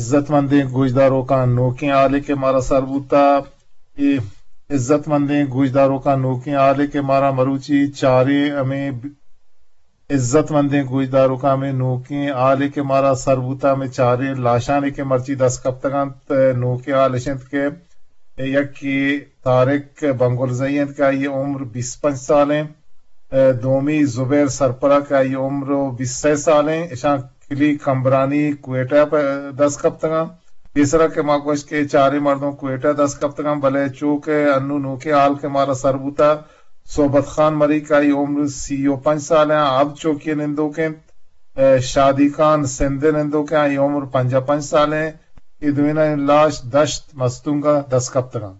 عزت مندیں گوشداروکاں نوکیں حالے کہ مارا سر بوتا، اے عزت مندیں گوشداروکاں نوکیں حالے کہ مارا مروچی چاریں ہمیں عزت مندیں گوشداروکاں ہمیں نوکیں حالے کہ مارا سر بوتا، ہمیں چاریں لاشانے کہ مرچی دست کپتگ انت، نوکیں حال اش انت کہ یکے طارق بنگلزئی انت کہ آئی عمر بیست پنچ سال ہیں، دومی زبیر سرپرا کہ آئی عمر بیست سال ہیں، اشاں کلی کمبرانی کوئٹہ پہ دست کپتگاں۔ پیسرا کہ ما گوشت کہ چاریں مردم کوئٹہ دست کپتگاں، بلے چو کہ انو نوکیں حال کہ مارا سر بوتا، صحبت خان مری کہ آئی عمر سی و پنچ سال ہیں، اب چوکی نندوک انت، شادی خان سندھ نندوک ہیں، آئی عمر پنجاہ پنچ سال ہیں۔ اے دوئینانی لاش دشت مستونگ ء دست کپتگاں۔